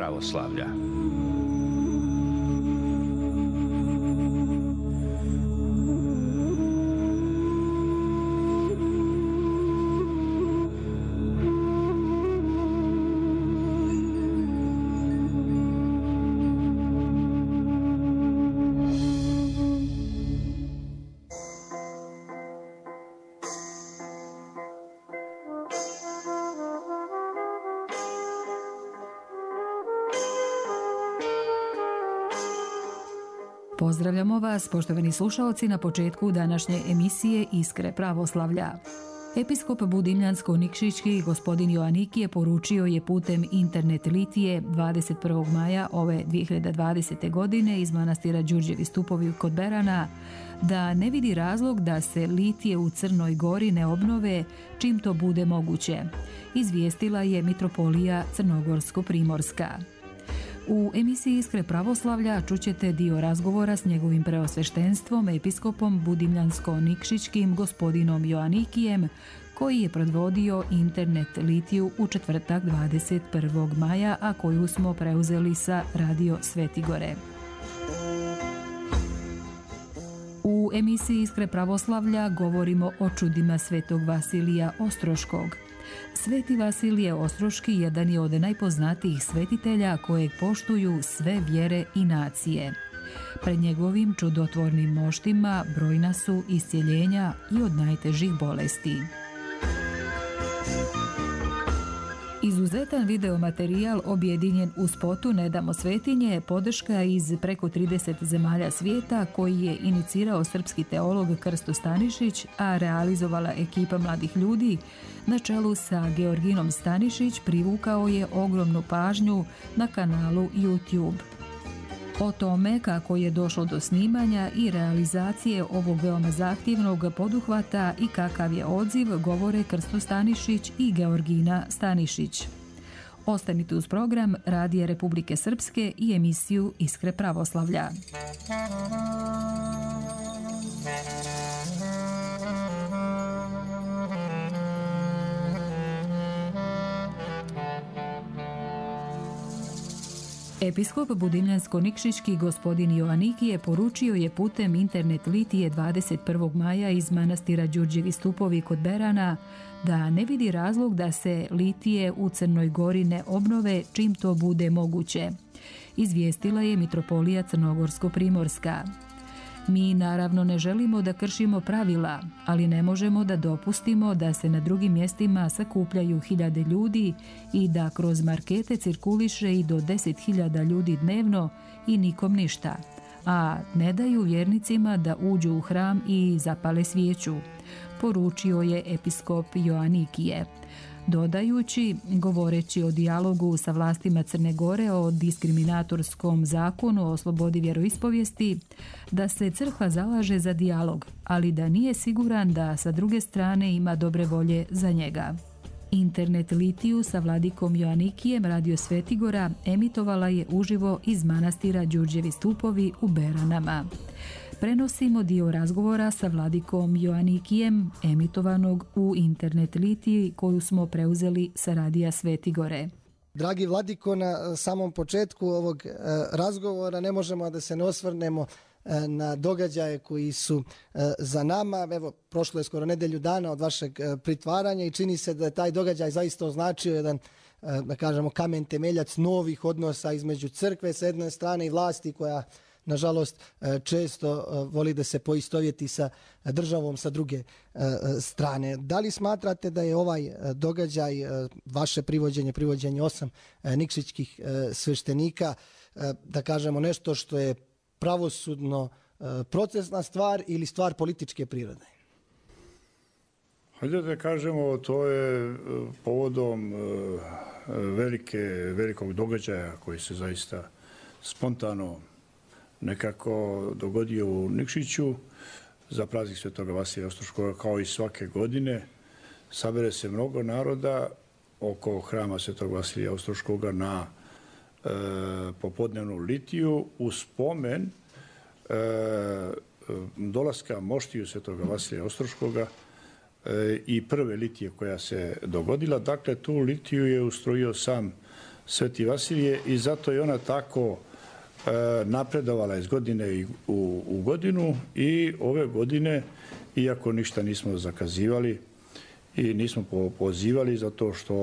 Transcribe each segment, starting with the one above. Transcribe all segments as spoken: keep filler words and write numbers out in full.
pravoslavlja. Pozdravljamo vas, poštovani slušaoci, na početku današnje emisije Iskre pravoslavlja. Episkop Budimljansko-Nikšićki gospodin Joanikije poručio je putem internet litije dvadeset prvog maja ove dvije hiljade dvadesete. godine iz manastira Đurđevi stupovi kod Berana da ne vidi razlog da se litije u Crnoj Gori ne obnove čim to bude moguće, izvijestila je mitropolija Crnogorsko-Primorska. U emisiji Iskre pravoslavlja čućete dio razgovora s njegovim preosveštenstvom, episkopom Budimljansko-Nikšićkim gospodinom Joanikijem, koji je predvodio internet litiju u četvrtak dvadeset prvog maja, a koju smo preuzeli sa Radio Svetigore. U emisiji Iskre pravoslavlja govorimo o čudima svetog Vasilija Ostroškog. Sveti Vasilije Ostroški jedan je od najpoznatijih svetitelja kojeg poštuju sve vjere i nacije. Pred njegovim čudotvornim moštima brojna su iscjeljenja i od najtežih bolesti. Izuzetan videomaterijal objedinjen u spotu Ne damo svetinje, podrška iz preko trideset zemalja svijeta koji je inicirao srpski teolog Krsto Stanišić, a realizovala ekipa mladih ljudi na čelu sa Georginom Stanišić, privukao je ogromnu pažnju na kanalu YouTube. O tome kako je došlo do snimanja i realizacije ovog veoma zahtjevnog poduhvata i kakav je odziv govore Krsto Stanišić i Georgina Stanišić. Ostanite uz program Radija Republike Srpske i emisiju Iskre pravoslavlja. Episkop Budimljansko-Nikšićki gospodin Joanikije poručio je putem internet litije dvadeset prvog maja iz manastira Đurđevi stupovi kod Berana da ne vidi razlog da se litije u Crnoj Gori ne obnove čim to bude moguće, izvijestila je mitropolija Crnogorsko-Primorska. Mi naravno ne želimo da kršimo pravila, ali ne možemo da dopustimo da se na drugim mjestima sakupljaju hiljade ljudi i da kroz markete cirkuliše i do deset hiljada ljudi dnevno i nikom ništa, a ne daju vjernicima da uđu u hram i zapale svijeću, poručio je episkop Joanikije. Dodajući, govoreći o dijalogu sa vlastima Crne Gore o diskriminatorskom zakonu o slobodi vjeroispovijesti, da se crkva zalaže za dijalog, ali da nije siguran da sa druge strane ima dobre volje za njega. Internet litiju sa vladikom Joanikijem Radio Svetigora emitovala je uživo iz manastira Đurđevi stupovi u Beranama. Prenosimo dio razgovora sa vladikom Joanikijem emitovanog u internet litiji koju smo preuzeli sa Radija Svetigore. Dragi vladiko, na samom početku ovog razgovora ne možemo da se ne osvrnemo na događaje koji su za nama. Evo, prošlo je skoro nedelju dana od vašeg pritvaranja i čini se da je taj događaj zaista označio jedan, da kažemo, kamen temeljac novih odnosa između crkve sa jedne strane i vlasti koja nažalost često voli da se poistovjeti sa državom sa druge strane. Da li smatrate da je ovaj događaj, vaše privođenje, privođenje osam nikšićkih sveštenika, da kažemo nešto što je pravosudno procesna stvar ili stvar političke prirode? Hajde da kažemo, to je povodom velike, velikog događaja koji se zaista spontano nekako dogodio u Nikšiću za praznik Svetoga Vasilija Ostroškoga. Kao i svake godine sabere se mnogo naroda oko hrama Svetog Vasilija Ostroškoga na e, popodnevnu litiju u spomen e, dolaska moštiju Svetoga Vasilija Ostroškoga e, i prve litije koja se dogodila. Dakle, tu litiju je ustrojio sam Sveti Vasilije i zato je ona tako napredovala iz godine u, u godinu i ove godine, iako ništa nismo zakazivali i nismo pozivali zato što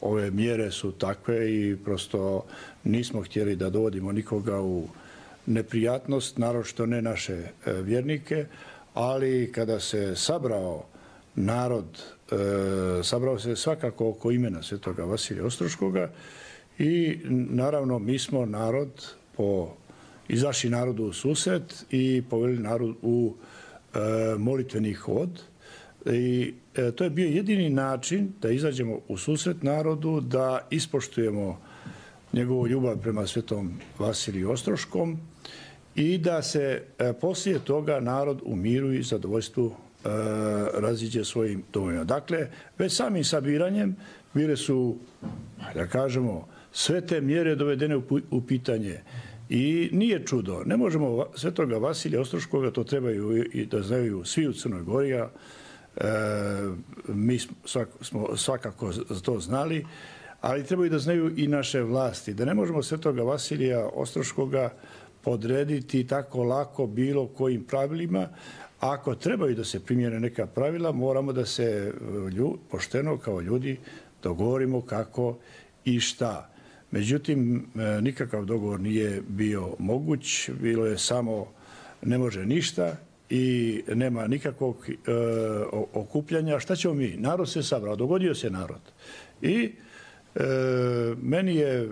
ove mjere su takve i prosto nismo htjeli da dovodimo nikoga u neprijatnost, naročito ne naše vjernike, ali kada se sabrao narod, sabrao se svakako oko imena Svetoga Vasilija Ostroškoga i naravno mi smo narod po izašli narodu u susret i poveli narod u e, molitveni hod. I e, to je bio jedini način da izađemo u susret narodu, da ispoštujemo njegovu ljubav prema Svetom Vasiliju Ostroškom i da se e, poslije toga narod u miru i zadovoljstvu e, raziđe svojim domovima. Dakle, već samim sabiranjem bile su, da kažemo, sve te mjere dovedene u pitanje. I nije čudo. Ne možemo Svetoga Vasilija Ostroškoga, to trebaju i da znaju svi u Crnoj Gori, e, mi smo svakako to znali, ali trebaju da znaju i naše vlasti. Da ne možemo Svetoga Vasilija Ostroškoga podrediti tako lako bilo kojim pravilima. Ako trebaju da se primjene neka pravila, moramo da se ljud, pošteno kao ljudi dogovorimo kako i šta. Međutim, nikakav dogovor nije bio moguć, bilo je samo ne može ništa i nema nikakvog e, okupljanja. Šta ćemo mi? Narod se sabrao, dogodio se narod. I e, meni je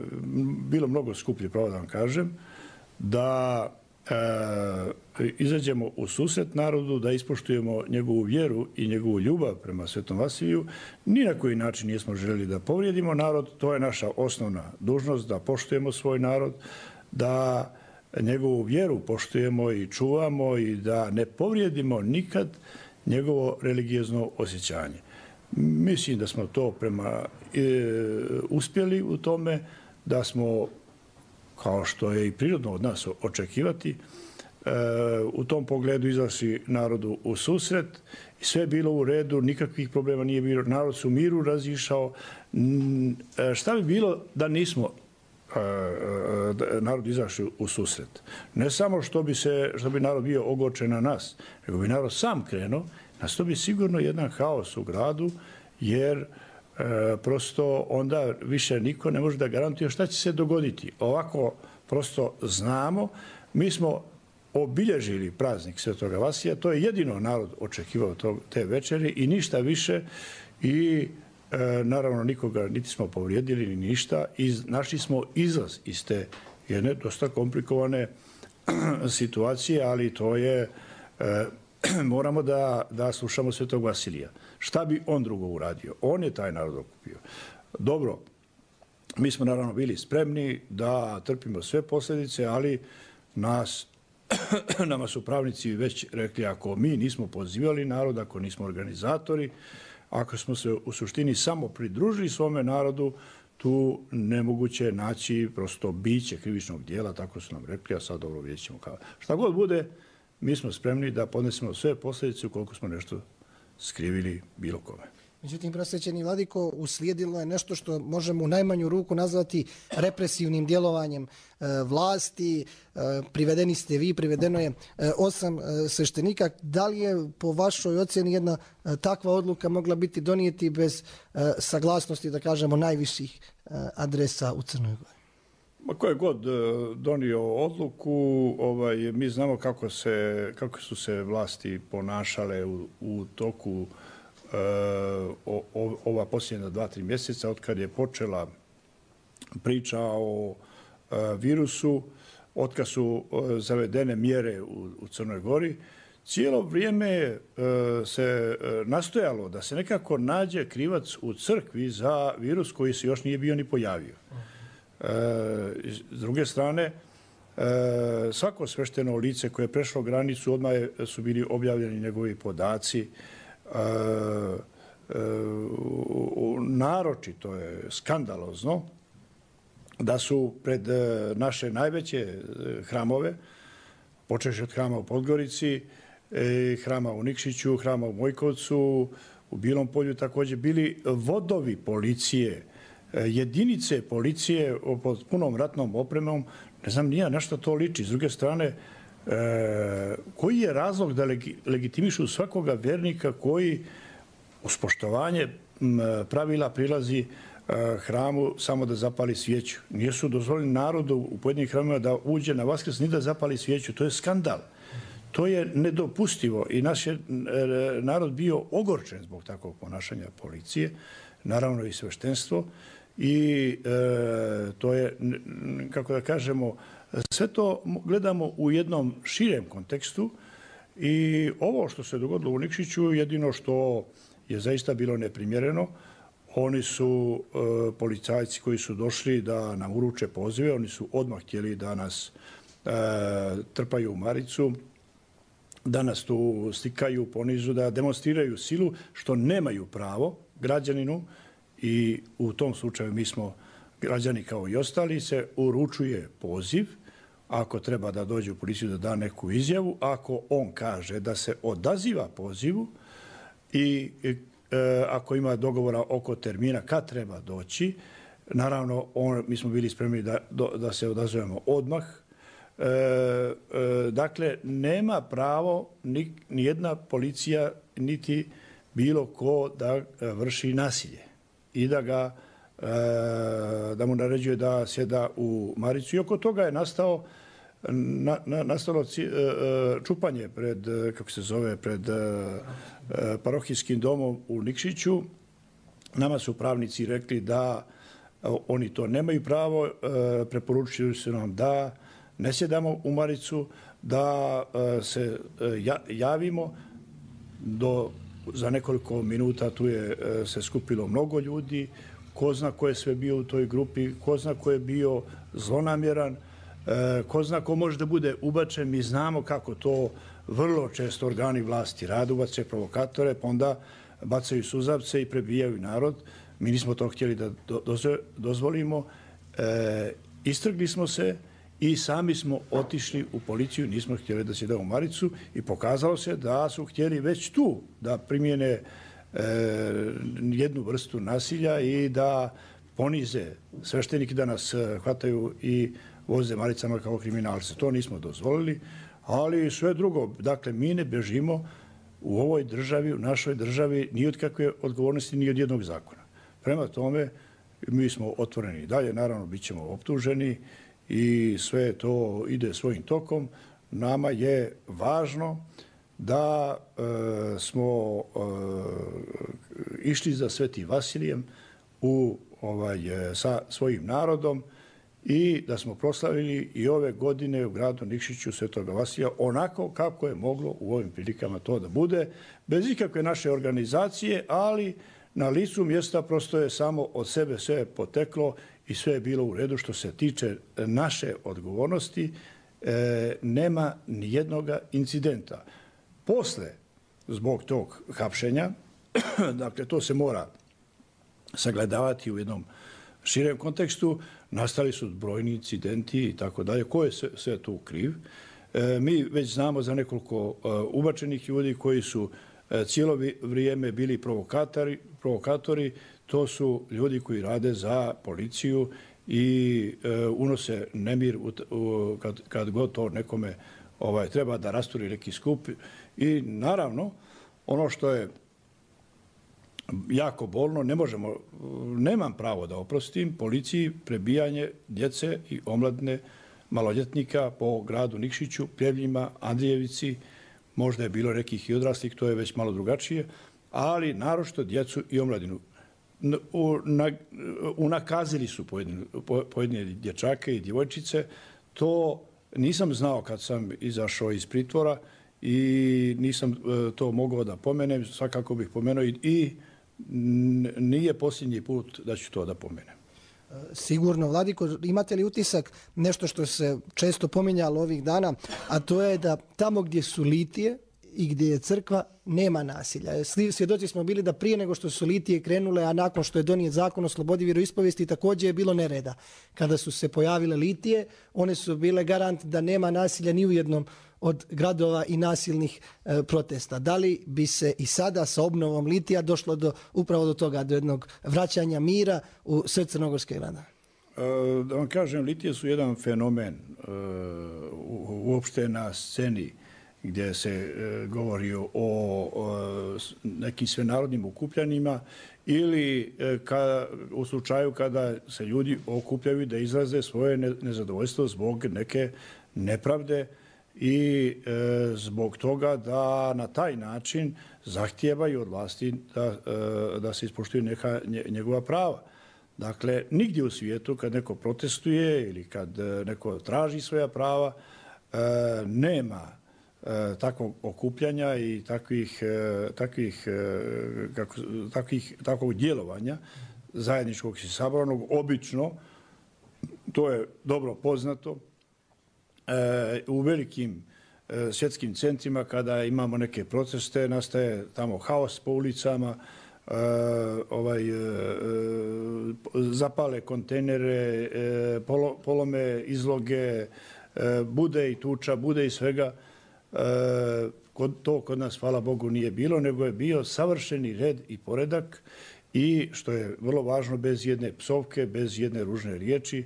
bilo mnogo skuplje, pravo da vam kažem, da e, izađemo u susret narodu, da ispoštujemo njegovu vjeru i njegovu ljubav prema Svetom Vasiliju. Ni na koji način nismo željeli da povrijedimo narod. To je naša osnovna dužnost, da poštujemo svoj narod, da njegovu vjeru poštujemo i čuvamo i da ne povrijedimo nikad njegovo religiozno osjećanje. Mislim da smo to prema e, uspjeli u tome, da smo, kao što je i prirodno od nas očekivati, u tom pogledu izašli narodu u susret i sve je bilo u redu, nikakvih problema nije bilo, narod se u miru razišao. Šta bi bilo da nismo narod izašli u susret? Ne samo što bi, se, što bi narod bio ogorčen na nas, nego bi narod sam krenuo, nas to bi sigurno jedan haos u gradu, jer E, prosto onda više niko ne može da garantuje šta će se dogoditi. Ovako prosto znamo, mi smo obilježili praznik Svetoga Vasilija, to je jedino narod očekivao tog, te večeri i ništa više i e, naravno nikoga niti smo povrijedili ni ništa i našli smo izlaz iz te jedne dosta komplikovane situacije, ali to je e, moramo da, da slušamo Svetog Vasilija. Šta bi on drugo uradio? On je taj narod okupio. Dobro, mi smo naravno bili spremni da trpimo sve posljedice, ali nas, nama su pravnici već rekli, ako mi nismo pozivali narod, ako nismo organizatori, ako smo se u suštini samo pridružili svome narodu, tu nemoguće naći prosto biće krivičnog dijela, tako su nam rekli, a sad dobro vidjet ćemo kao. Šta god bude, mi smo spremni da podnesemo sve posljedice ukoliko smo nešto skrivili bilo kome. Međutim, prosvećeni vladiko, uslijedilo je nešto što možemo u najmanju ruku nazvati represivnim djelovanjem e, vlasti. E, privedeni ste vi, privedeno je e, osam e, sveštenika. Da li je po vašoj ocjeni jedna e, takva odluka mogla biti donijeti bez e, saglasnosti, da kažemo, najviših e, adresa u Crnoj Gori? Ma ko je god donio odluku, ovaj, mi znamo kako, se, kako su se vlasti ponašale u, u toku uh, o, o, ova posljednja dva, tri mjeseca, od kad je počela priča o uh, virusu, od kad su uh, zavedene mjere u, u Crnoj Gori. Cijelo vrijeme uh, se uh, nastojalo da se nekako nađe krivac u crkvi za virus koji se još nije bio ni pojavio. S druge strane, svako svešteno lice koje je prešlo granicu, odmah su bili objavljeni njegovi podaci. Naročito je skandalozno da su pred naše najveće hramove, počevši od hrama u Podgorici, hrama u Nikšiću, hrama u Mojkovcu, u Bilom Polju također bili vodovi policije jedinice policije pod punom ratnom opremom, ne znam nija na što to liči. S druge strane, e, koji je razlog da legi, legitimišu svakoga vjernika koji uz poštovanje pravila prilazi hramu samo da zapali svijeću? Nisu dozvoljeni narodu u pojedinim hramima da uđe na Vaskrs ni da zapali svijeću. To je skandal. To je nedopustivo i naš je narod bio ogorčen zbog takvog ponašanja policije, naravno i sveštenstvo. I e, to je, kako da kažemo, sve to gledamo u jednom širem kontekstu i ovo što se dogodilo u Nikšiću, jedino što je zaista bilo neprimjereno, oni su e, policajci koji su došli da nam uruče pozive, oni su odmah htjeli da nas e, trpaju u maricu, da nas tu stikaju ponizu, da demonstriraju silu, što nemaju pravo građaninu. I u tom slučaju mi smo građani kao i ostali, se uručuje poziv, ako treba da dođe u policiju da da neku izjavu, ako on kaže da se odaziva pozivu i e, ako ima dogovora oko termina kad treba doći, naravno on, mi smo bili spremni da, da se odazovemo odmah. E, e, dakle, nema pravo ni, ni jedna policija niti bilo ko da vrši nasilje i da ga da mu naređuje da sjeda u maricu. I oko toga je nastao na, na, nastalo čupanje pred, kako se zove, pred parohijskim domom u Nikšiću. Nama su pravnici rekli da oni to nemaju pravo, preporučili su nam da ne sjedamo u maricu, da se javimo. Do za nekoliko minuta tu je se skupilo mnogo ljudi, ko zna ko je sve bio u toj grupi, ko zna ko je bio zlonamjeran, ko zna ko može da bude ubačen. Mi znamo kako to vrlo često organi vlasti rade, ubace provokatore, pa onda bacaju suzavce i prebijaju narod. Mi nismo to htjeli da dozvolimo. E, istrgli smo se i sami smo otišli u policiju, nismo htjeli da se da u maricu i pokazalo se da su htjeli već tu da primjene e, jednu vrstu nasilja i da ponize sveštenike, da nas hvataju i voze maricama kao kriminalce. To nismo dozvolili, ali sve drugo. Dakle, mi ne bežimo u ovoj državi, u našoj državi, ni od kakve odgovornosti, ni od jednog zakona. Prema tome, mi smo otvoreni dalje, naravno, bit ćemo optuženi i sve to ide svojim tokom. Nama je važno da e, smo e, išli za Svetim Vasilijem u, ovaj, sa svojim narodom i da smo proslavili i ove godine u gradu Nikšiću Svetoga Vasilija onako kako je moglo u ovim prilikama to da bude, bez ikakve naše organizacije, ali na licu mjesta prosto je samo od sebe sve poteklo i sve je bilo u redu. Što se tiče naše odgovornosti, e, nema ni jednog incidenta. Posle, zbog tog hapšenja, dakle to se mora sagledavati u jednom širem kontekstu, nastali su brojni incidenti i tako dalje. Ko je sve, sve tu kriv? E, mi već znamo za nekoliko e, ubačenih ljudi koji su e, cijelo vrijeme bili provokatori, provokatori. To su ljudi koji rade za policiju i e, unose nemir u, u, kad, kad god to nekome ovaj, treba da rasturi neki skup. I naravno, ono što je jako bolno, ne možemo, nemam pravo da oprostim policiji prebijanje djece i omladine maloljetnika po gradu Nikšiću, Pljevljima, Andrijevici, možda je bilo nekih i odraslih, to je već malo drugačije, ali naročito djecu i omladinu. Unakazili su pojedine, pojedine dječake i djevojčice. To nisam znao kad sam izašao iz pritvora i nisam to mogao da pomenem, svakako bih pomenuo i, i nije posljednji put da ću to da pomenem. Sigurno, Vladiko, imate li utisak nešto što se često pominjalo ovih dana, a to je da tamo gdje su litije i gdje je crkva nema nasilja. Svjedoci smo bili da prije nego što su litije krenule, a nakon što je donijet zakon o slobodi vjeroispovijesti, također je bilo nereda. Kada su se pojavile litije, one su bile garant da nema nasilja ni u jednom od gradova i nasilnih e, protesta. Da li bi se i sada sa obnovom litija došlo do, upravo do toga, do jednog vraćanja mira u sve crnogorske grada? E, da vam kažem, litije su jedan fenomen e, uopšte na sceni gdje se e, govori o, o nekim svenarodnim okupljanjima ili e, ka, u slučaju kada se ljudi okupljaju da izraze svoje ne, nezadovoljstvo zbog neke nepravde i e, zbog toga da na taj način zahtijevaju od vlasti da, e, da se ispoštuju neka njegova prava. Dakle, nigdje u svijetu kad neko protestuje ili kad neko traži svoja prava, e, nema takvog okupljanja i takvih, takvih, kako, takvih, takvog djelovanja zajedničkog i sabranog. Obično, to je dobro poznato, u velikim svjetskim centrima kada imamo neke proteste, nastaje tamo haos po ulicama, ovaj, zapale kontejnere, polome izloge, bude i tuča, bude i svega. E, to kod nas, hvala Bogu, nije bilo, nego je bio savršeni red i poredak i, što je vrlo važno, bez jedne psovke, bez jedne ružne riječi,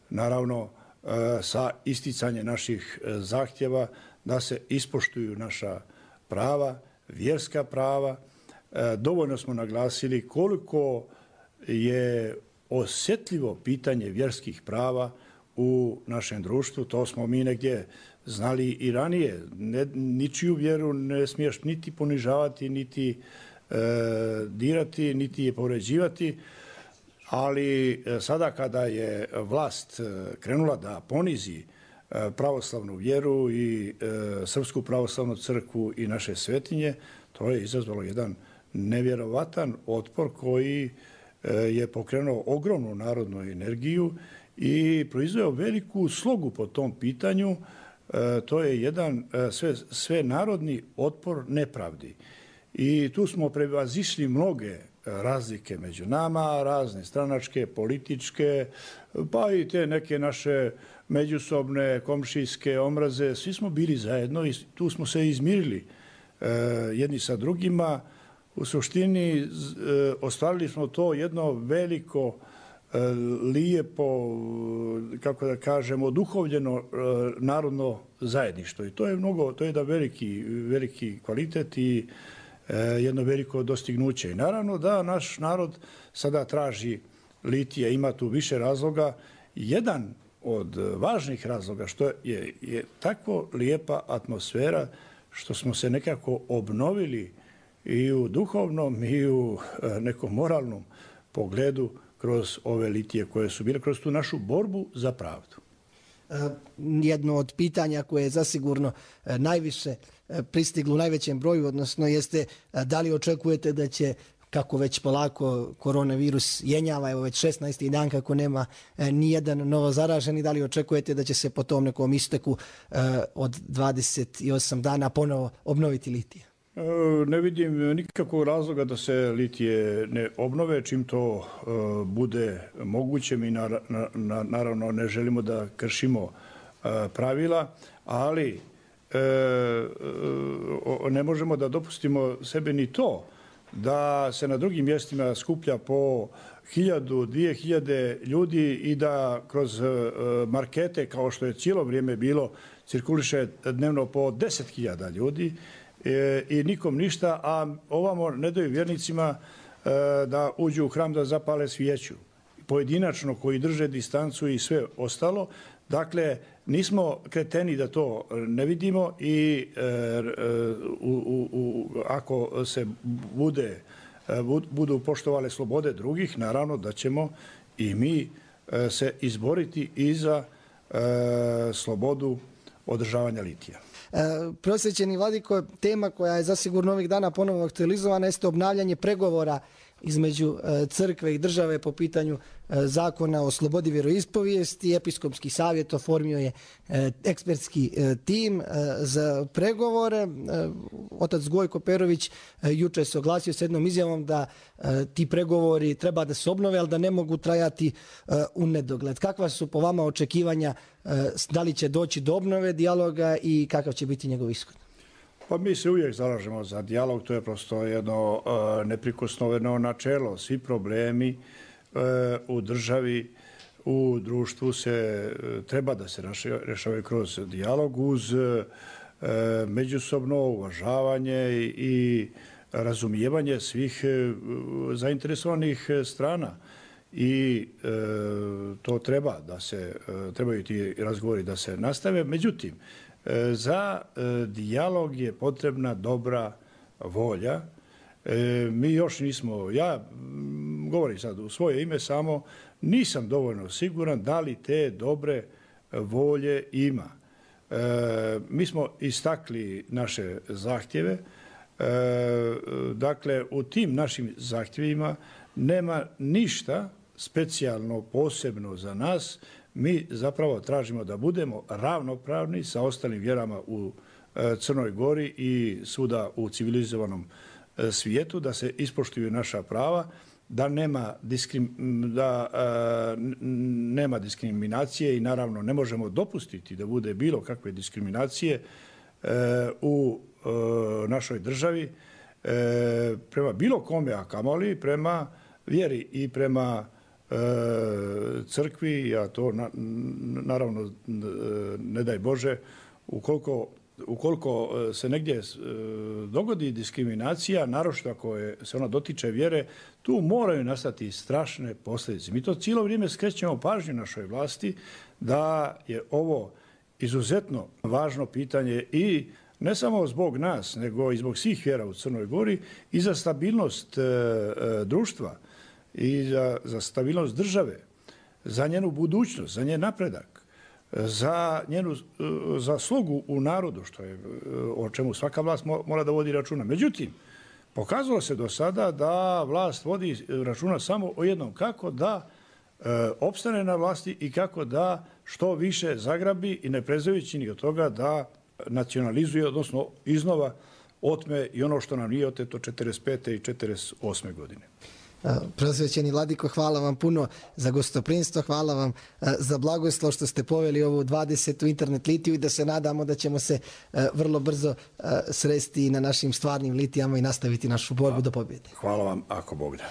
naravno e, sa isticanje naših zahtjeva da se ispoštuju naša prava, vjerska prava. E, dovoljno smo naglasili koliko je osjetljivo pitanje vjerskih prava u našem društvu. To smo mi negdje znali i ranije. Ne, ničiju vjeru ne smiješ niti ponižavati, niti e, dirati, niti je povređivati. Ali sada kada je vlast krenula da ponizi pravoslavnu vjeru i e, Srpsku pravoslavnu crkvu i naše svetinje, to je izazvalo jedan nevjerovatan otpor koji e, je pokrenuo ogromnu narodnu energiju i proizveo veliku slogu po tom pitanju. E, to je jedan e, sve, sve narodni otpor nepravdi. I tu smo prevazišli mnoge razlike među nama, razne stranačke, političke, pa i te neke naše međusobne komšijske omraze. Svi smo bili zajedno i tu smo se izmirili e, jedni sa drugima. U suštini e, ostvarili smo to jedno veliko, e, lijepo, kako da kažemo, duhovljeno e, narodno zajedništvo. I to je mnogo, to je jedan veliki, veliki kvalitet i jedno veliko dostignuće. I naravno da naš narod sada traži litije, ima tu više razloga. Jedan od važnih razloga što je, je tako lijepa atmosfera što smo se nekako obnovili i u duhovnom i u nekom moralnom pogledu kroz ove litije koje su bile, kroz tu našu borbu za pravdu. Jedno od pitanja koje je zasigurno najviše pristiglo u najvećem broju, odnosno jeste da li očekujete da će, kako već polako koronavirus jenjava, evo već šesnaesti dan kako nema ni jedan novo zaraženi, da li očekujete da će se po tom nekom isteku od dvadeset osam dana ponovo obnoviti litije? Ne vidim nikakvog razloga da se litije ne obnove, čim to bude moguće. Mi naravno ne želimo da kršimo pravila, ali ne možemo da dopustimo sebe ni to da se na drugim mjestima skuplja po hiljadu, dvije hiljade ljudi i da kroz markete, kao što je cijelo vrijeme bilo, cirkuliše dnevno po deset hiljada ljudi i nikom ništa, a ovamo ne daju vjernicima da uđu u hram da zapale svijeću. Pojedinačno koji drže distancu i sve ostalo. Dakle, nismo kreteni da to ne vidimo i e, u, u, u, ako se bude, budu poštovale slobode drugih, naravno da ćemo i mi e, se izboriti i za e, slobodu održavanja litija. E, prosvećeni vladiko, tema koja je zasigurno ovih dana ponovno aktualizovana jeste obnavljanje pregovora između crkve i države po pitanju zakona o slobodi vjeroispovijesti. Episkopski savjet oformio je ekspertski tim za pregovore. Otac Gojko Perović juče se oglasio s jednom izjavom da ti pregovori treba da se obnove, ali da ne mogu trajati u nedogled. Kakva su po vama očekivanja, da li će doći do obnove dijaloga i kakav će biti njegov ishod? Pa mi se uvijek zalažemo za dijalog, to je prosto jedno uh, neprikosnoveno načelo. Svi problemi uh, u državi, u društvu se uh, treba da se rješavaju kroz dijalog uz uh, međusobno uvažavanje i, i razumijevanje svih uh, zainteresovanih strana. I e, to treba da se, e, trebaju ti razgovori da se nastave. Međutim, e, za e, dijalog je potrebna dobra volja. E, mi još nismo, ja m, govorim sad u svoje ime samo, nisam dovoljno siguran da li te dobre volje ima. E, mi smo istakli naše zahtjeve. E, dakle, u tim našim zahtjevima nema ništa specijalno, posebno za nas. Mi zapravo tražimo da budemo ravnopravni sa ostalim vjerama u Crnoj Gori i svuda u civilizovanom svijetu, da se ispoštuju naša prava, da nema, diskrim, da, a, nema diskriminacije i naravno ne možemo dopustiti da bude bilo kakve diskriminacije a, u a, našoj državi a, prema bilo kome, a kamoli prema vjeri i prema e, crkvi, a to na, naravno ne daj Bože, ukoliko, ukoliko se negdje e, dogodi diskriminacija, naročito ako je, se ona dotiče vjere, tu moraju nastati strašne posljedice. Mi to cijelo vrijeme skrećemo pažnju našoj vlasti da je ovo izuzetno važno pitanje i ne samo zbog nas, nego i zbog svih vjera u Crnoj Gori i za stabilnost e, e, društva i za, za stabilnost države, za njenu budućnost, za njen napredak, za njenu za slogu u narodu, što je o čemu svaka vlast mora da vodi računa. Međutim, pokazalo se do sada da vlast vodi računa samo o jednom, kako da e, opstane na vlasti i kako da što više zagrabi i ne prezajući ni od toga da nacionalizuje, odnosno iznova otme i ono što nam nije oteto četrdeset pete i četrdeset osme godine. Preosvećeni vladiko, hvala vam puno za gostoprinstvo, hvala vam za blagoslov što ste poveli ovu dvadesetu internet litiju i da se nadamo da ćemo se vrlo brzo sresti na našim stvarnim litijama i nastaviti našu borbu do pobjede. Hvala vam, ako Bog da.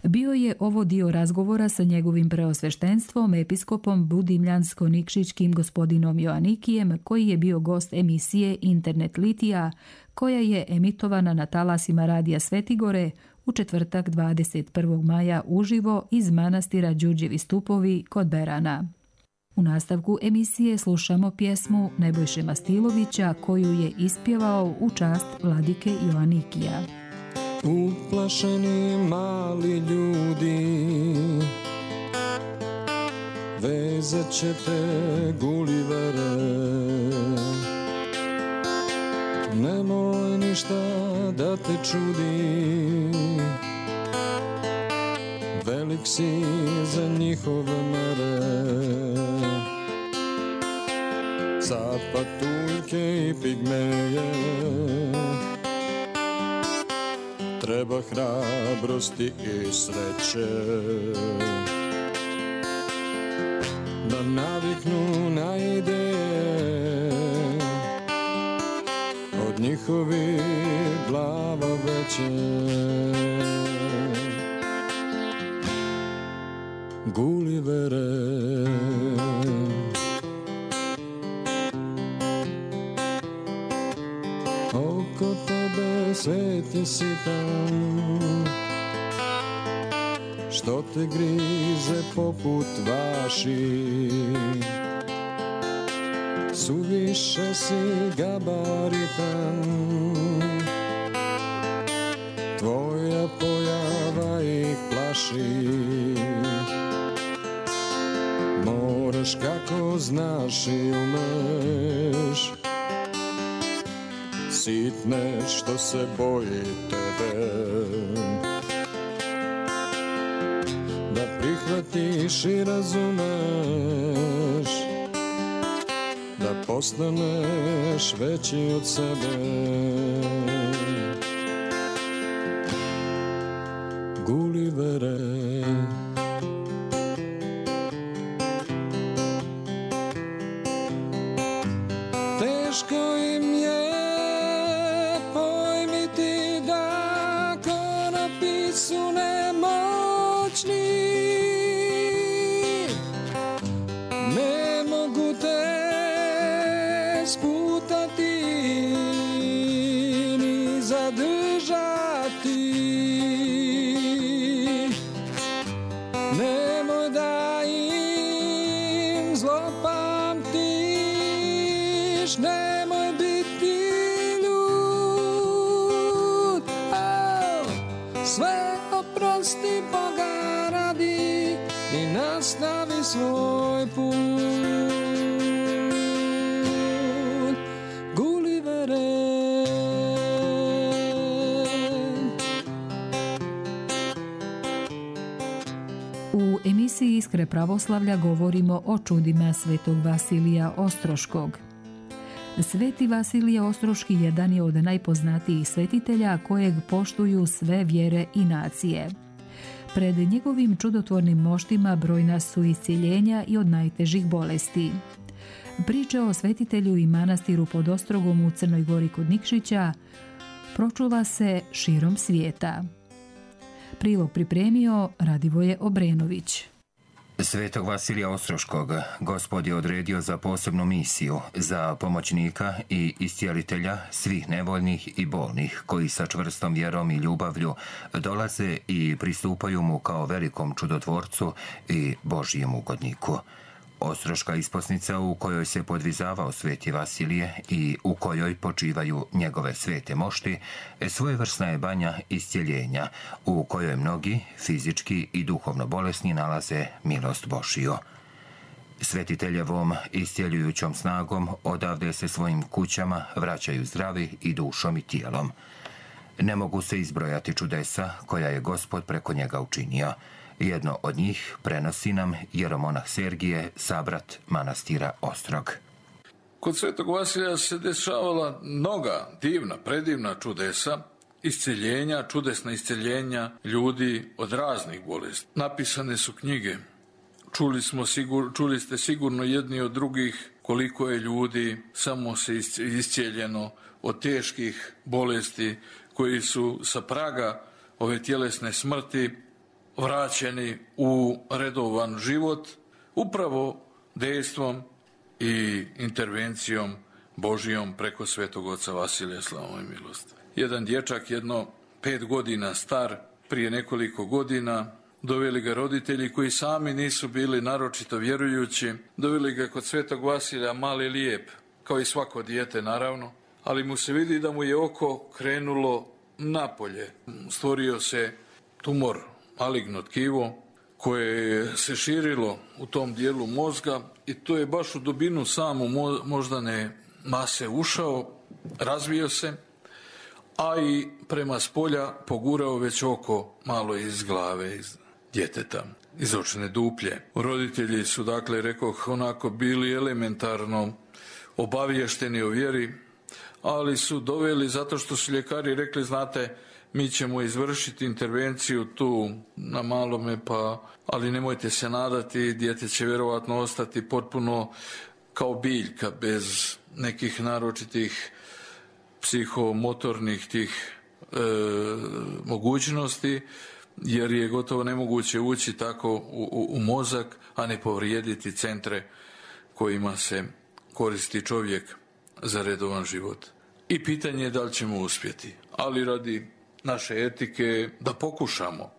Bio je ovo dio razgovora sa njegovim preosveštenstvom, episkopom budimljansko-nikšićkim gospodinom Joanikijem, koji je bio gost emisije Internet Litija, koja je emitovana na talasima Radija Svetigore u četvrtak dvadeset prvog maja uživo iz manastira Đurđevi stupovi kod Berana. U nastavku emisije slušamo pjesmu Nebojše Mastilovića koju je ispjevao u čast vladike Joanikija. Uplašeni mali ljudi, vezat će te Gulivere. Nemoj ništa da te čudi, velik si za njihove mere. Capatuljke i pigmeje, treba hrabrosti i sreće da naviknu na ideje od njihovih glava veće. Gulivere, oko tebe svet je sitan, što te grize poput vaši. Suviše si gabaritan, tvoja pojava ih plaši. Moraš kako znaš i umeš, sitne što se boji tebe. shvatiš i razumeš, da postaneš veći od sebe. Gulivere, teško im je pojmiti da konopi su nemoćni, ne mogu te sputati ni zadržati. Nemoj da im zlopamtiš, nemoj biti ljud. Oh, sve oprosti Boga radi i nastavi svoj put. Gulivere. U emisiji Iskre pravoslavlja govorimo o čudima svetog Vasilija Ostroškog. Sveti Vasilije Ostroški jedan je od najpoznatijih svetitelja kojeg poštuju sve vjere i nacije. Pred njegovim čudotvornim moštima brojna su iscjeljenja i od najtežih bolesti. Priče o svetitelju i manastiru pod Ostrogom u Crnoj Gori kod Nikšića pročula se širom svijeta. Prilog pripremio Radivoje Obrenović. Svetog Vasilija Ostroškog Gospod je odredio za posebnu misiju, za pomoćnika i iscijelitelja svih nevoljnih i bolnih, koji sa čvrstom vjerom i ljubavlju dolaze i pristupaju mu kao velikom čudotvorcu i Božijem ugodniku. Ostroška isposnica u kojoj se podvizavao sveti Vasilije i u kojoj počivaju njegove svete mošti, svojevrsna je banja iscjeljenja, u kojoj mnogi, fizički i duhovno bolesni, nalaze milost Božiju. Svetiteljevom iscjeljujućom snagom odavde se svojim kućama vraćaju zdravi i dušom i tijelom. Ne mogu se izbrojati čudesa koja je Gospod preko njega učinio. Jedno od njih prenosi nam jeromonah Sergije, sabrat manastira Ostrog. Kod svetog Vasilija se dešavala mnoga divna, predivna čudesa, isceljenja, čudesna isceljenja ljudi od raznih bolesti. Napisane su knjige. Čuli, smo sigur, čuli ste sigurno jedni od drugih koliko je ljudi samo se iscijeljeno od teških bolesti, koji su sa praga ove tjelesne smrti vraćeni u redovan život upravo dejstvom i intervencijom Božijom preko svetog oca Vasilija, slavom i milost. Jedan dječak, jedno pet godina star, prije nekoliko godina, doveli ga roditelji koji sami nisu bili naročito vjerujući, doveli ga kod svetog Vasilija, mali lijep, kao i svako dijete naravno, ali mu se vidi da mu je oko krenulo napolje. Stvorio se tumor, maligno tkivo, koje se širilo u tom dijelu mozga i to je baš u dubinu samu moždane mase ušao, razvio se, a i prema spolja pogurao već oko malo iz glave, iz djeteta, iz očne duplje. Roditelji su, dakle, rekoh, onako bili elementarno obavješteni o vjeri, ali su doveli, zato što su ljekari rekli, znate, mi ćemo izvršiti intervenciju tu na malome, pa, ali nemojte se nadati, dijete će vjerovatno ostati potpuno kao biljka, bez nekih naročitih psihomotornih tih e, mogućnosti, jer je gotovo nemoguće ući tako u, u, u mozak, a ne povrijediti centre kojima se koristi čovjek za redovan život. I pitanje je da li ćemo uspjeti, ali radi naše etike da pokušamo.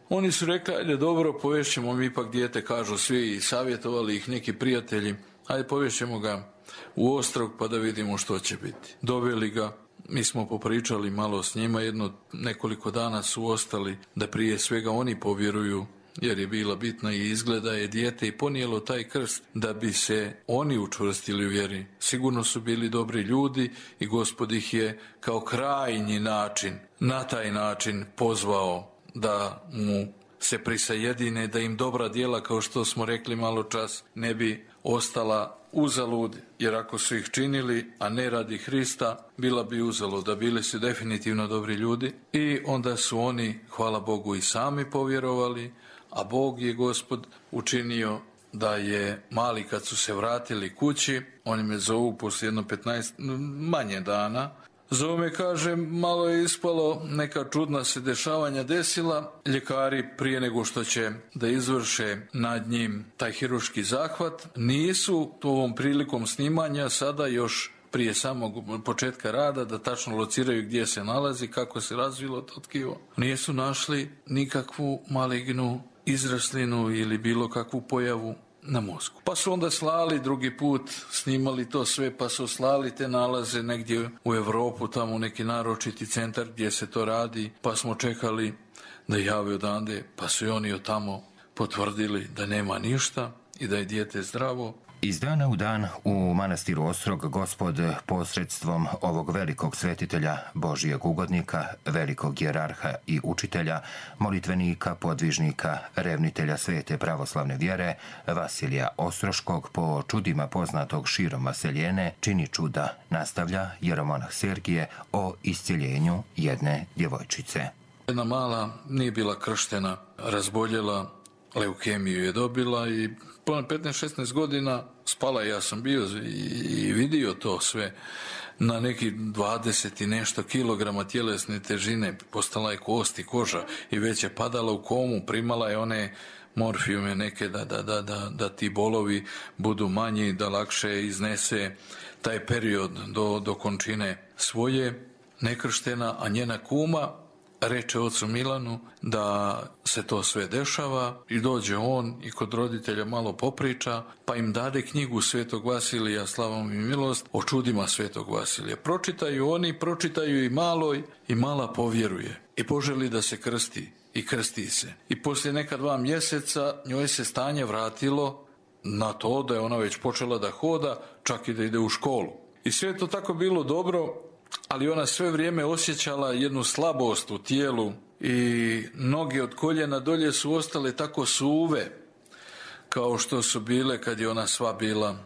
Oni su rekli, ajde dobro, povešćemo mi ipak dijete, kažu svi, i savjetovali ih neki prijatelji, ajde povešćemo ga u Ostrog pa da vidimo što će biti. Doveli ga, mi smo popričali malo s njima, jedno nekoliko dana su ostali da prije svega oni povjeruju, jer je bila bitna i izgleda je dijete i ponijelo taj krst da bi se oni učvrstili u vjeri. Sigurno su bili dobri ljudi i Gospod ih je kao krajnji način, na taj način pozvao da mu se prisajedine, da im dobra djela, kao što smo rekli malo čas, ne bi ostala uzalud, jer ako su ih činili, a ne radi Hrista, bila bi uzalud, da bili su definitivno dobri ljudi. I onda su oni, hvala Bogu, i sami povjerovali, a Bog je, Gospod, učinio da je mali, kad su se vratili kući, oni me zovu poslije jedno petnaest, manje dana, zovu me, kaže, malo je ispalo, neka čudna se dešavanja desila, ljekari prije nego što će da izvrše nad njim taj hirurški zahvat, nisu ovom prilikom snimanja sada još prije samog početka rada da tačno lociraju gdje se nalazi, kako se razvilo to tkivo. Nisu našli nikakvu malignu izraslinu ili bilo kakvu pojavu na mozgu. Pa su onda slali drugi put, snimali to sve, pa su slali te nalaze negdje u Europu, tamo u neki naročiti centar gdje se to radi, pa smo čekali da jave odande, pa su i oni od tamo potvrdili da nema ništa i da je dijete zdravo. Iz dana u dan u manastiru Ostrog Gospod posredstvom ovog velikog svetitelja, Božijeg ugodnika, velikog jerarha i učitelja, molitvenika, podvižnika, revnitelja svete pravoslavne vjere, Vasilija Ostroškog, po čudima poznatog širom Vaseljene, čini čuda, nastavlja jeromonah Sergije o iscjeljenju jedne djevojčice. Jedna mala nije bila krštena, razboljela, leukemiju je dobila i petnaest šesnaest godina spala, ja sam bio i vidio to sve, na neki dvadeset i nešto kilograma tjelesne težine, postala je kost i koža i već je padala u komu, primala je one morfijume neke da, da, da, da, da ti bolovi budu manji, da lakše iznese taj period do, do končine svoje, nekrštena, a njena kuma reče ocu Milanu da se to sve dešava i dođe on i kod roditelja malo popriča, pa im dade knjigu Svetog Vasilija, slavom i milost, o čudima Svetog Vasilija. Pročitaju oni, pročitaju i maloj i mala povjeruje i poželi da se krsti i krsti se. I poslije neka dva mjeseca njoj se stanje vratilo na to da je ona već počela da hoda, čak i da ide u školu. I sve je to tako bilo dobro, ali ona sve vrijeme osjećala jednu slabost u tijelu i noge od koljena dolje su ostale tako suve kao što su bile kad je ona sva bila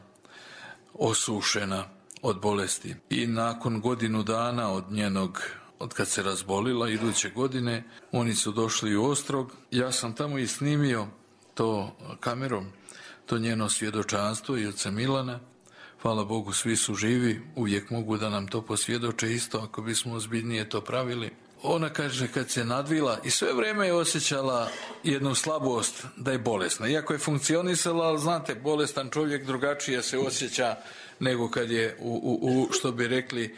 osušena od bolesti. I nakon godinu dana od njenog, od kad se razbolila, iduće godine, oni su došli u Ostrog. Ja sam tamo i snimio to kamerom, to njeno svjedočanstvo i oca Milana. Hvala Bogu, svi su živi, uvijek mogu da nam to posvjedoče isto ako bismo ozbiljnije to pravili. Ona kaže kad se nadvila i sve vrijeme je osjećala jednu slabost da je bolesna. Iako je funkcionisala, ali znate, bolestan čovjek drugačije se osjeća nego kad je u, u, u što bi rekli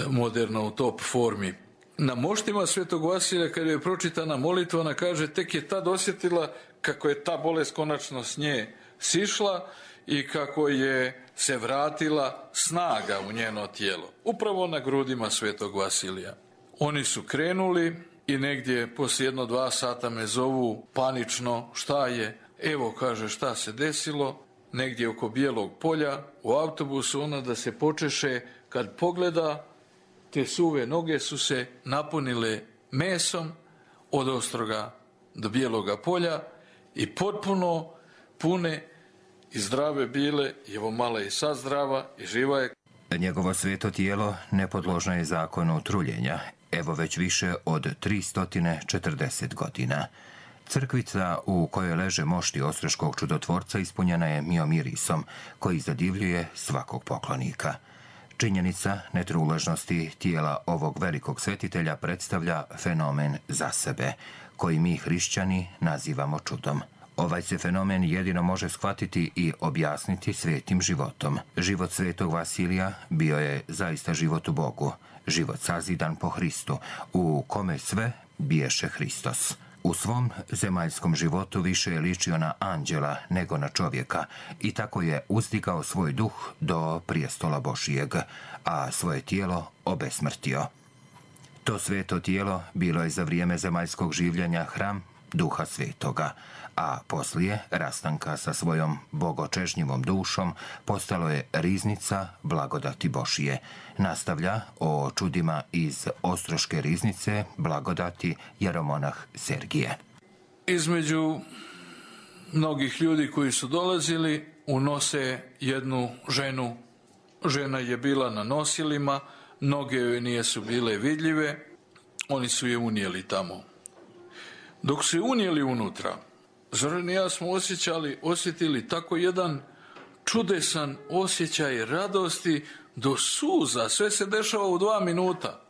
moderno, u top formi. Na moštima Svetog Vasilija kad je pročitana molitva, ona kaže tek je tad osjetila kako je ta bolest konačno s nje sišla i kako je se vratila snaga u njeno tijelo. Upravo na grudima Svetog Vasilija. Oni su krenuli i negdje poslije jedno dva sata me zovu panično, šta je? Evo, kaže, šta se desilo? Negdje oko Bijelog polja u autobusu, ona da se počeše, kad pogleda, te suve noge su se napunile mesom od Ostroga do Bijeloga polja i potpuno pune i zdrave bile, i evo mala je sad zdrava i živa je. Njegovo sveto tijelo nepodložno je zakonu truljenja, evo već više od tristo četrdeset godina. Crkvica u kojoj leže mošti Ostroškog čudotvorca ispunjena je miomirisom, koji zadivljuje svakog poklonika. Činjenica netruležnosti tijela ovog velikog svetitelja predstavlja fenomen za sebe, koji mi hrišćani nazivamo čudom. Ovaj se fenomen jedino može shvatiti i objasniti svetim životom. Život Svetog Vasilija bio je zaista život u Bogu, život sazidan po Hristu, u kome sve biješe Hristos. U svom zemaljskom životu više je ličio na anđela nego na čovjeka i tako je uzdigao svoj duh do prijestola Božijeg, a svoje tijelo obesmrtio. To sveto tijelo bilo je za vrijeme zemaljskog življenja hram Duha Svetoga, a poslije rastanka sa svojom bogočežnjivom dušom postalo je riznica blagodati Božije. Nastavlja o čudima iz Ostroške riznice blagodati jeromonah Sergije. između mnogih ljudi koji su dolazili unose jednu ženu. Žena je bila na nosilima, noge joj nisu bile vidljive, oni su je unijeli tamo. Dok su je unijeli unutra, Zoran i ja smo osjećali, osjetili tako jedan čudesan osjećaj radosti do suza. Sve se dešava u dva minuta.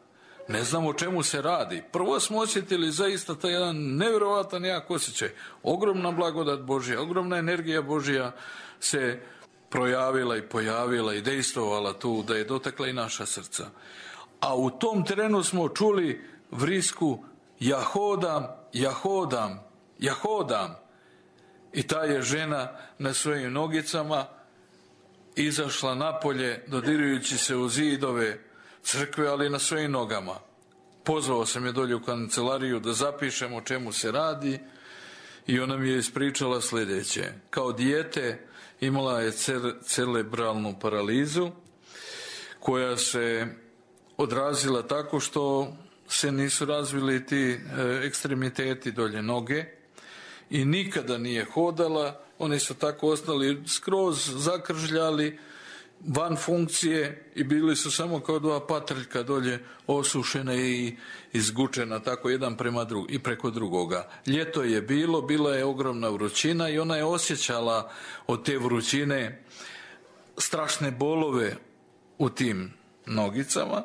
Ne znam o čemu se radi. Prvo smo osjetili zaista taj jedan nevjerovatan jak osjećaj. Ogromna blagodat Božja, ogromna energija Božja se projavila i pojavila i dejstvovala tu, da je dotakla i naša srca. A u tom trenu smo čuli vrisku ja hodam, ja hodam, ja hodam. I ta je žena na svojim nogicama izašla napolje, dodirujući se u zidove crkve, ali na svojim nogama. Pozvao sam je dolje u kancelariju da zapišem o čemu se radi i ona mi je ispričala sljedeće. Kao dijete imala je cerebralnu paralizu koja se odrazila tako što se nisu razvili ti ekstremiteti dolje noge i nikada nije hodala. Oni su tako ostali skroz zakržljali, van funkcije i bili su samo kao dva patrljka dolje osušena i izgučena tako jedan prema drug, i preko drugoga. Ljeto je bilo, bila je ogromna vrućina i ona je osjećala od te vrućine strašne bolove u tim nogicama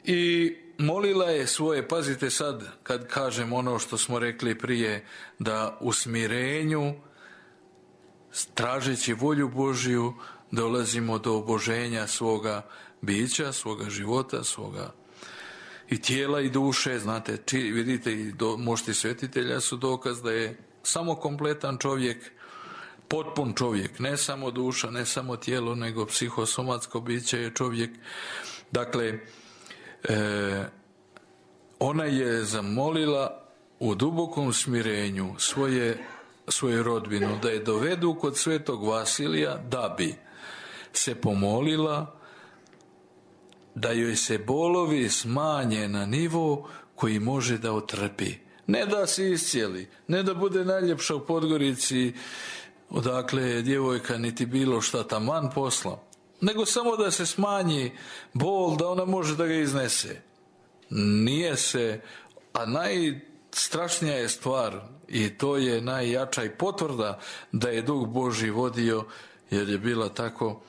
i molila je svoje, pazite sad kad kažem ono što smo rekli prije, da u smirenju, tražeći volju Božju, dolazimo do oboženja svoga bića, svoga života, svoga i tijela i duše. Znate, či, vidite, i do, mošti svetitelja su dokaz da je samo kompletan čovjek, potpun čovjek, ne samo duša, ne samo tijelo, nego psihosomatsko biće je čovjek. Dakle, e, ona je zamolila u dubokom smirenju svoje, svoju rodbinu da je dovedu kod svetog Vasilija da bi se pomolila da joj se bolovi smanje na nivo koji može da otrpi. Ne da se iscijeli, ne da bude najljepša u Podgorici odakle je djevojka niti bilo šta taman posla, nego samo da se smanji bol, da ona može da ga iznese. Nije se, a najstrašnija je stvar i to je najjača i potvrda da je Duh Božji vodio, jer je bila tako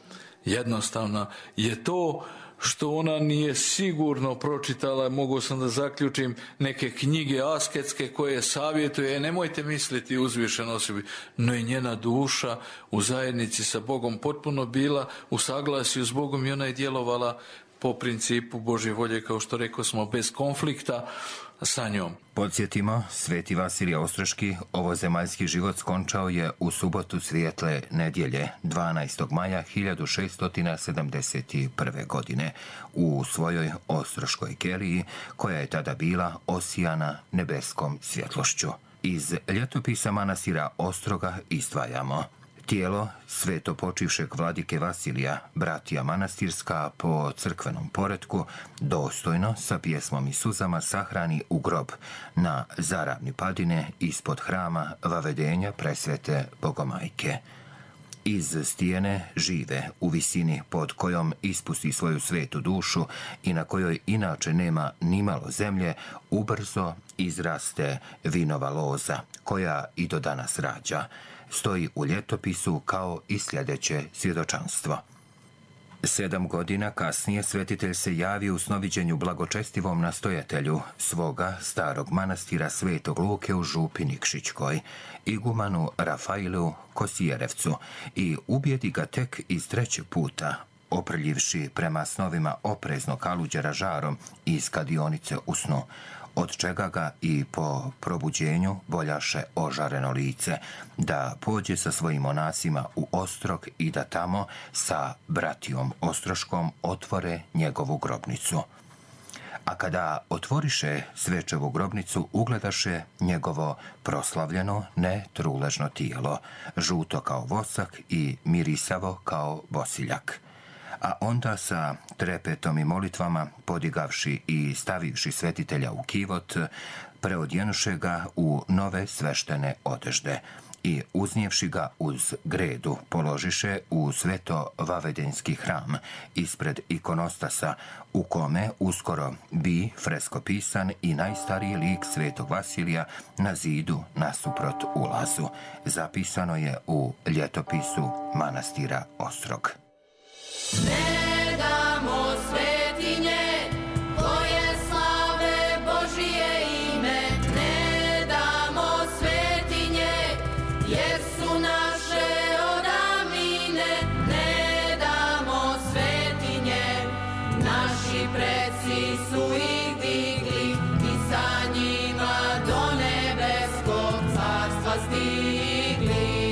jednostavna, je to što ona nije sigurno pročitala, mogu sam da zaključim, neke knjige asketske koje savjetuje, e, nemojte misliti uzvišeno osobi, no i njena duša u zajednici sa Bogom potpuno bila u saglasju s Bogom i ona je djelovala po principu Božje volje, kao što rekao smo, bez konflikta sa njom. Podsjetimo, Sveti Vasilije Ostroški ovozemaljski život skončao je u subotu svijetle nedjelje, dvanaestog maja hiljadu šeststo sedamdeset prve. godine u svojoj Ostroškoj keliji, koja je tada bila osijana nebeskom svjetlošću. Iz ljetopisa manastira Ostroga izdvajamo: tijelo sveto počivšeg vladike Vasilija, bratija manastirska po crkvenom poretku, dostojno sa pjesmom i suzama sahrani u grob na Zaravni padine ispod hrama Vavedenja presvete Bogomajke. Iz stijene žive u visini pod kojom ispusti svoju svetu dušu i na kojoj inače nema nimalo zemlje, ubrzo izraste vinova loza, koja i do danas rađa. Stoji u ljetopisu kao i sljedeće svjedočanstvo. Sedam godina kasnije svetitelj se javi u snoviđenju blagočestivom nastojatelju svoga starog manastira Svetog Luke u Župi Nikšićkoj, igumanu Rafailu Kosijerevcu, i ubijedi ga tek iz trećeg puta, oprljivši prema snovima oprezno kaluđera žarom iz kadionice u snu, od čega ga i po probuđenju voljaše ožareno lice, da pođe sa svojim monasima u Ostrog i da tamo sa bratijom Ostroškom otvore njegovu grobnicu. A kada otvoriše svečevu grobnicu, ugledaše njegovo proslavljeno, netruležno tijelo, žuto kao vosak i mirisavo kao bosiljak. A onda sa trepetom i molitvama, podigavši i stavivši svetitelja u kivot, preodjenuše ga u nove sveštene odežde i uznijevši ga uz gredu položiše u sveto vavedenski hram ispred ikonostasa u kome uskoro bi freskopisan i najstariji lik svetog Vasilija na zidu nasuprot ulazu. Zapisano je u ljetopisu manastira Ostrog. Ne damo svetinje koje slave Božije ime, ne damo svetinje jer su naše odavnine, ne damo svetinje, naši preci su ih digli i sa njima do nebeskog carstva stigli.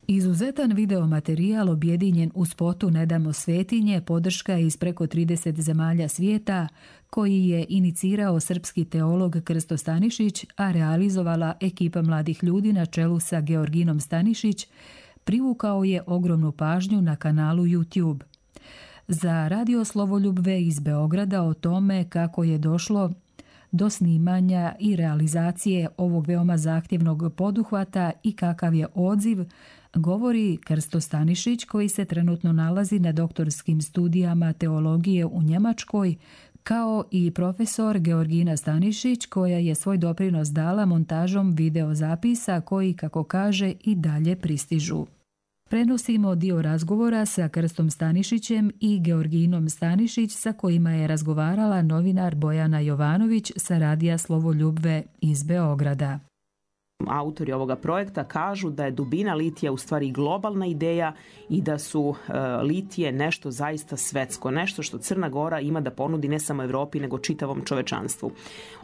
Izuzetan videomaterijal objedinjen u spotu Ne damo svetinje podrška iz preko trideset zemalja svijeta koji je inicirao srpski teolog Krsto Stanišić, a realizovala ekipa mladih ljudi na čelu sa Georginom Stanišić, privukao je ogromnu pažnju na kanalu YouTube. Za Radio Slovoljubve iz Beograda o tome kako je došlo do snimanja i realizacije ovog veoma zahtjevnog poduhvata i kakav je odziv, govori Krsto Stanišić koji se trenutno nalazi na doktorskim studijama teologije u Njemačkoj, kao i profesor Georgina Stanišić koja je svoj doprinos dala montažom videozapisa koji, kako kaže, i dalje pristižu. Prenosimo dio razgovora sa Krstom Stanišićem i Georginom Stanišić sa kojima je razgovarala novinar Bojana Jovanović sa Radija Slovoljubve iz Beograda. Autori ovoga projekta kažu da je dubina litija u stvari globalna ideja i da su e, litije nešto zaista svetsko, nešto što Crna Gora ima da ponudi ne samo Evropi nego čitavom čovečanstvu.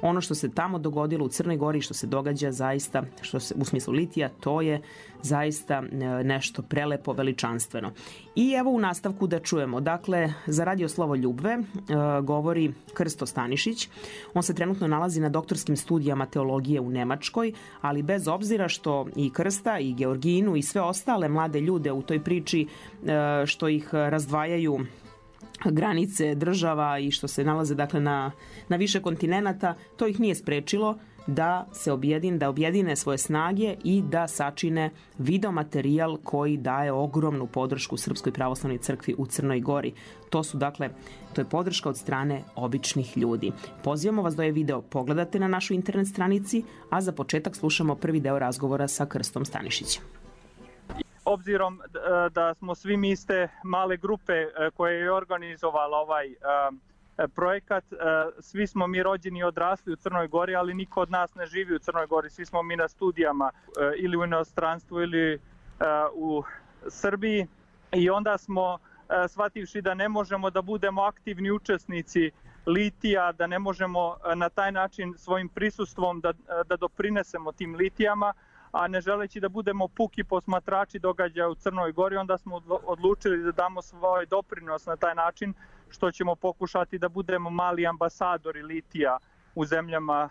Ono što se tamo dogodilo u Crnoj Gori, što se događa zaista što se, u smislu litija, to je zaista e, nešto prelepo, veličanstveno. I evo u nastavku da čujemo. Dakle, za Radio Slovoljubve e, govori Krsto Stanišić. On se trenutno nalazi na doktorskim studijama teologije u Nemačkoj, ali ali bez obzira što i Krsta i Georginu i sve ostale mlade ljude u toj priči što ih razdvajaju granice država i što se nalaze dakle na, na više kontinenata, to ih nije sprečilo da se objedine, da objedine svoje snage i da sačine videomaterijal koji daje ogromnu podršku Srpskoj pravoslavnoj crkvi u Crnoj Gori. To su dakle, to je podrška od strane običnih ljudi. Pozivamo vas da je video pogledate na našoj internet stranici, a za početak slušamo prvi deo razgovora sa Krstom Stanišićem. Obzirom da smo svi mi iste male grupe koje je organizovala ovaj projekat, svi smo mi rođeni i odrasli u Crnoj Gori, ali niko od nas ne živi u Crnoj Gori, svi smo mi na studijama ili u inostranstvu ili u Srbiji i onda smo shvativši da ne možemo da budemo aktivni učesnici litija, da ne možemo na taj način svojim prisustvom da, da doprinesemo tim litijama, a ne želeći da budemo puki posmatrači događaja u Crnoj Gori, onda smo odlučili da damo svoj doprinos na taj način što ćemo pokušati da budemo mali ambasadori litija u zemljama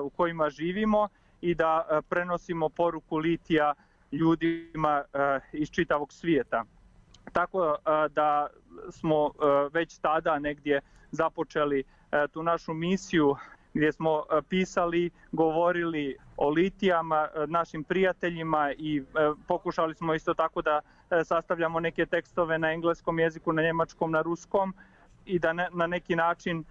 u kojima živimo i da prenosimo poruku litija ljudima iz čitavog svijeta. Tako da smo već tada negdje započeli tu našu misiju gdje smo pisali, govorili o litijama našim prijateljima i pokušali smo isto tako da sastavljamo neke tekstove na engleskom jeziku, na njemačkom, na ruskom i da na neki način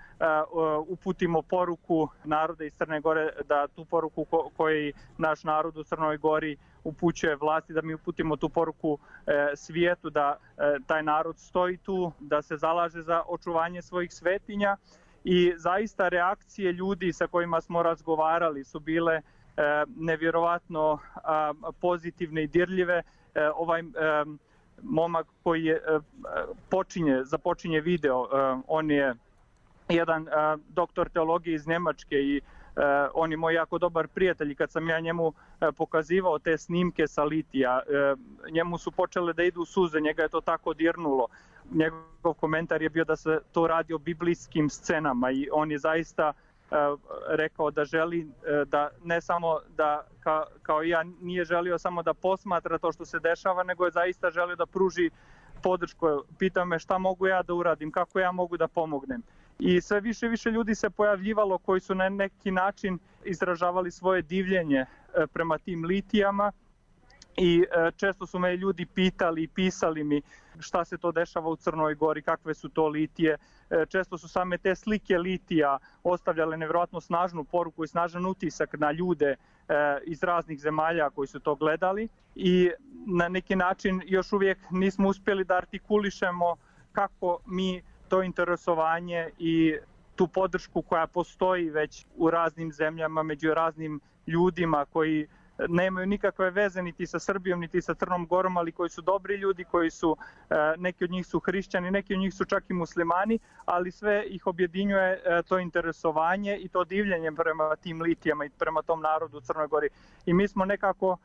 uputimo poruku naroda iz Crne Gore, da tu poruku koju naš narod u Crnoj Gori upućuje vlasti, da mi uputimo tu poruku svijetu, da taj narod stoji tu, da se zalaže za očuvanje svojih svetinja. I zaista reakcije ljudi sa kojima smo razgovarali su bile nevjerovatno pozitivne i dirljive. Ovaj momak koji je počinje, započinje video, on je jedan doktor teologije iz Njemačke i on je moj jako dobar prijatelj i kad sam ja njemu pokazivao te snimke sa litija, njemu su počele da idu suze, njega je to tako dirnulo. Njegov komentar je bio da se to radi o biblijskim scenama i on je zaista rekao da želi da ne samo da ka, kao ja nije želio samo da posmatra to što se dešava, nego je zaista želio da pruži podršku. Pitao me šta mogu ja da uradim, kako ja mogu da pomognem. I sve više i više ljudi se pojavljivalo koji su na neki način izražavali svoje divljenje prema tim litijama i često su me ljudi pitali i pisali mi šta se to dešava u Crnoj Gori, kakve su to litije. Često su same te slike litija ostavljale nevjerojatno snažnu poruku i snažan utisak na ljude iz raznih zemalja koji su to gledali i na neki način još uvijek nismo uspjeli da artikulišemo kako mi to interesovanje i tu podršku koja postoji već u raznim zemljama, među raznim ljudima koji nemaju nikakve veze niti sa Srbijom, niti sa Crnom Gorom, ali koji su dobri ljudi, koji su, neki od njih su hrišćani, neki od njih su čak i muslimani, ali sve ih objedinjuje to interesovanje i to divljenje prema tim litijama i prema tom narodu u Crnoj Gori. I mi smo nekako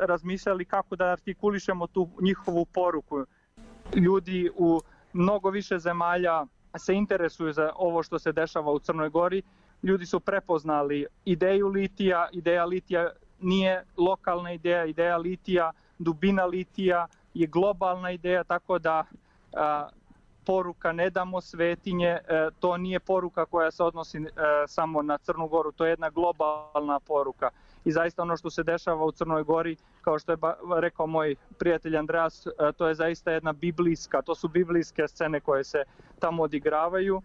razmišljali kako da artikulišemo tu njihovu poruku. Ljudi u mnogo više zemalja se interesuju za ovo što se dešava u Crnoj Gori. Ljudi su prepoznali ideju litija, ideja litija nije lokalna ideja, ideja litija, dubina litija je globalna ideja, tako da a, poruka ne damo svetinje, a, to nije poruka koja se odnosi a, samo na Crnu Goru, to je jedna globalna poruka. I zaista ono što se dešava u Crnoj Gori, kao što je rekao moj prijatelj Andreas, to je zaista jedna biblijska, to su biblijske scene koje se tamo odigravaju,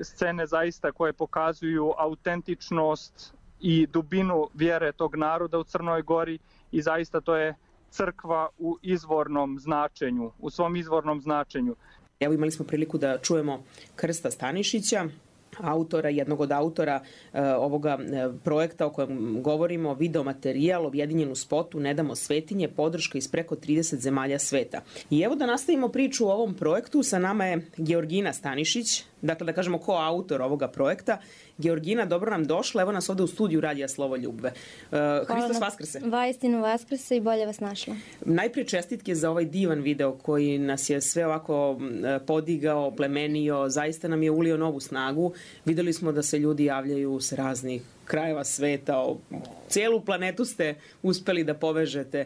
scene zaista koje pokazuju autentičnost i dubinu vjere tog naroda u Crnoj Gori i zaista to je crkva u izvornom značenju, u svom izvornom značenju. Evo imali smo priliku da čujemo Krsta Stanišića, autora, jednog od autora e, ovoga e, projekta o kojem govorimo, videomaterijal objedinjen u spotu Ne damo svetinje, podrška iz preko trideset zemalja sveta. I evo da nastavimo priču o ovom projektu, sa nama je Georgina Stanišić, dakle da kažemo ko autor ovoga projekta. Georgina, dobro nam došla, evo nas ovde u studiju Radija Slovoljubve. Uh, Hristos Vaskrse. Vaistinu Vaskrse i bolje vas našla. Najprije čestitke za ovaj divan video koji nas je sve ovako podigao, plemenio, zaista nam je ulio novu snagu. Videli smo da se ljudi javljaju s raznih krajeva sveta, cijelu planetu ste uspeli da povežete.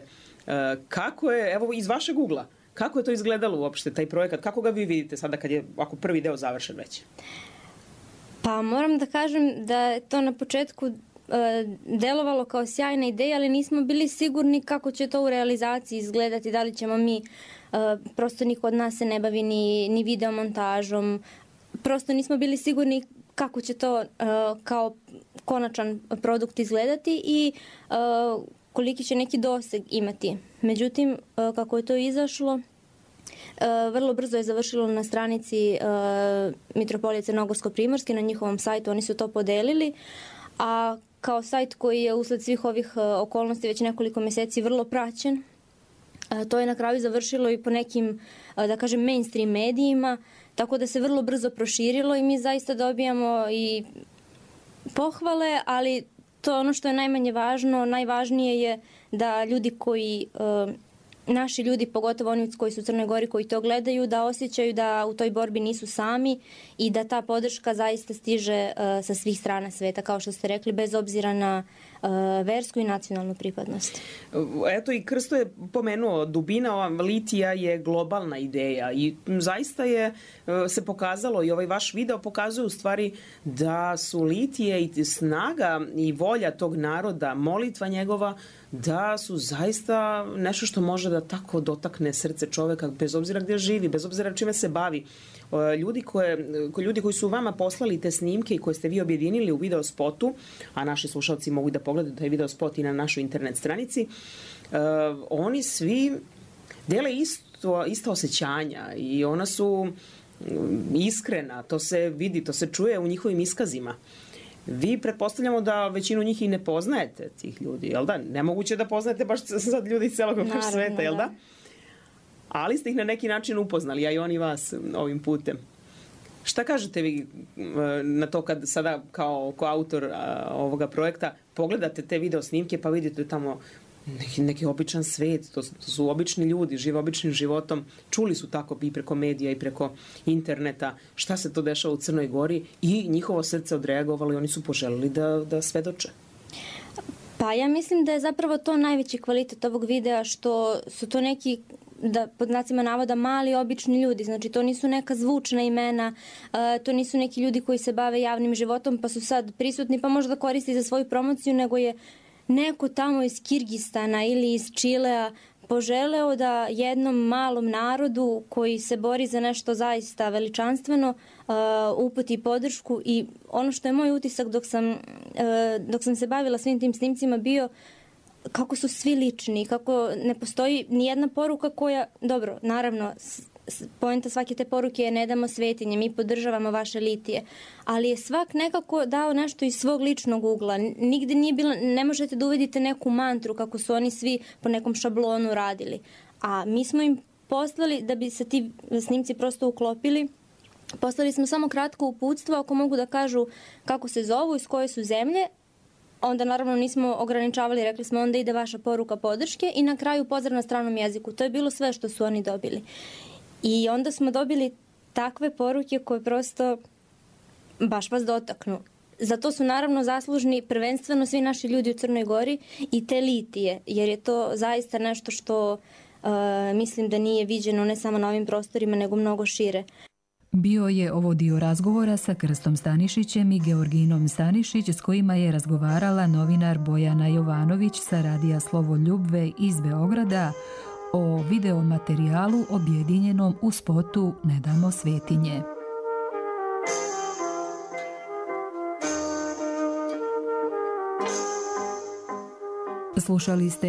Kako je, evo iz vašeg ugla, kako je to izgledalo uopšte, taj projekat? Kako ga vi vidite sada kad je ako prvi deo završen već? Pa moram da kažem da je to na početku delovalo kao sjajna ideja, ali nismo bili sigurni kako će to u realizaciji izgledati, da li ćemo mi, prosto niko od nas se ne bavi ni, ni videomontažom, prosto nismo bili sigurni kako će to kao konačan produkt izgledati i koliki će neki doseg imati. Međutim, kako je to izašlo, vrlo brzo je završilo na stranici Mitropolije Crnogorsko-Primorske, na njihovom sajtu, oni su to podelili, a kao sajt koji je usled svih ovih okolnosti već nekoliko mjeseci vrlo praćen, to je na kraju završilo i po nekim, da kažem, mainstream medijima, tako da se vrlo brzo proširilo i mi zaista dobijamo i pohvale, ali to je ono što je najmanje važno. Najvažnije je da ljudi koji, naši ljudi, pogotovo oni koji su u Crnoj Gori, koji to gledaju, da osjećaju da u toj borbi nisu sami i da ta podrška zaista stiže sa svih strana sveta, kao što ste rekli, bez obzira na versku i nacionalnu pripadnost. Eto i Krsto je pomenuo, dubina litija je globalna ideja i zaista je se pokazalo i ovaj vaš video pokazuje u stvari da su litije i snaga i volja tog naroda, molitva njegova, da su zaista nešto što može da tako dotakne srce čoveka bez obzira gdje živi, bez obzira čime se bavi. Ljudi, koje, ljudi koji su vama poslali te snimke i koje ste vi objedinili u video spotu, a naši slušalci mogu da pogledaju taj video spot i na našoj internet stranici, uh, oni svi dele isto, ista osjećanja i ona su iskrena, to se vidi, to se čuje u njihovim iskazima. Vi pretpostavljamo da većinu njih i ne poznajete tih ljudi, jel da? Nemoguće da poznajete baš sad ljudi iz celog vaš sveta, jel da? Ali ste ih na neki način upoznali, a i oni vas ovim putem. Šta kažete vi na to kad sada kao, kao autor a, ovoga projekta pogledate te video snimke pa vidite tamo neki, neki običan svet, to, to su obični ljudi, žive običnim životom, čuli su tako i preko medija i preko interneta šta se to dešava u Crnoj Gori i njihovo srce odreagovalo i oni su poželili da, da svedoče. Pa ja mislim da je zapravo to najveći kvalitet ovog videa, što su to neki, da pod znacima navoda, mali obični ljudi, znači to nisu neka zvučna imena, to nisu neki ljudi koji se bave javnim životom pa su sad prisutni pa možda koristi za svoju promociju, nego je neko tamo iz Kirgistana ili iz Čilea poželeo da jednom malom narodu koji se bori za nešto zaista veličanstveno uputi podršku. I ono što je moj utisak dok sam, dok sam se bavila svim tim snimcima bio kako su svi lični, kako ne postoji ni jedna poruka koja, dobro, naravno, poenta svake te poruke je ne damo svetinje, mi podržavamo vaše litije, ali je svak nekako dao nešto iz svog ličnog ugla. Nigde nije bilo, ne možete da uvedite neku mantru kako su oni svi po nekom šablonu radili. A mi smo im poslali, da bi se ti snimci prosto uklopili, poslali smo samo kratko uputstvo, ako mogu da kažu kako se zovu, iz koje su zemlje. Onda naravno nismo ograničavali, rekli smo onda ide vaša poruka podrške i na kraju pozdrav na stranom jeziku. To je bilo sve što su oni dobili. I onda smo dobili takve poruke koje prosto baš vas dotaknu. Zato su naravno zaslužni prvenstveno svi naši ljudi u Crnoj Gori i te litije, jer je to zaista nešto što uh, mislim da nije viđeno ne samo na ovim prostorima, nego mnogo šire. Bio je ovo dio razgovora sa Krstom Stanišićem i Georginom Stanišić, s kojima je razgovarala novinar Bojana Jovanović sa radija Slovo Ljubve iz Beograda o videomaterijalu objedinjenom u spotu Ne damo svetinje. Slušali ste